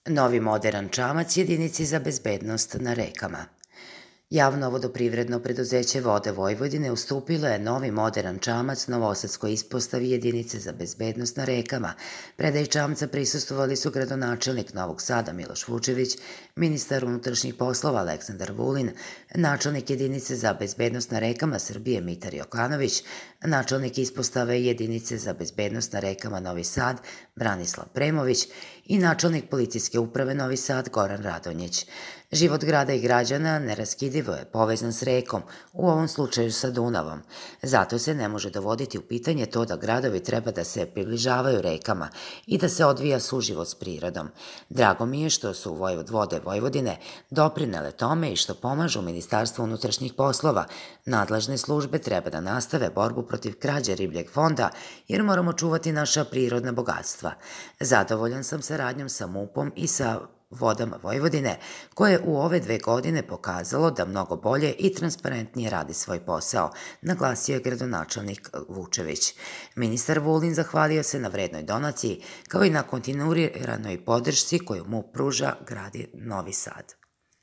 Novi moderan čamac jedinici za bezbednost na rekama. Javno vodoprivredno preduzeće Vode Vojvodine ustupilo je novi moderan čamac Novosadskoj ispostavi jedinice za bezbednost na rekama. Predaj čamca prisustvovali su gradonačelnik Novog Sada Miloš Vučević, ministar unutrašnjih poslova Aleksandar Vulin, načelnik jedinice za bezbednost na rekama Srbije Mitar Jokanović, načelnik ispostave jedinice za bezbednost na rekama Novi Sad Branislav Premović i načelnik policijske uprave Novi Sad Goran Radonjić. Život grada i građana neraskidivo je povezan s rekom, u ovom slučaju sa Dunavom. Zato se ne može dovoditi u pitanje to da gradovi treba da se približavaju rekama i da se odvija suživot s prirodom. Drago mi je što su Vode Vojvodine doprinele tome i što pomažu Ministarstvo unutrašnjih poslova. Nadležne službe treba da nastave borbu protiv krađe ribljeg fonda jer moramo čuvati naša prirodna bogatstva. Zadovoljan sam saradnjom sa MUP-om i sa Vodama Vojvodine, koje je u ove 2 godine pokazalo da mnogo bolje i transparentnije radi svoj posao, naglasio je gradonačelnik Vučević. Ministar Vulin zahvalio se na vrednoj donaciji, kao i na kontinuiranoj podršci koju MUP pruža gradi Novi Sad.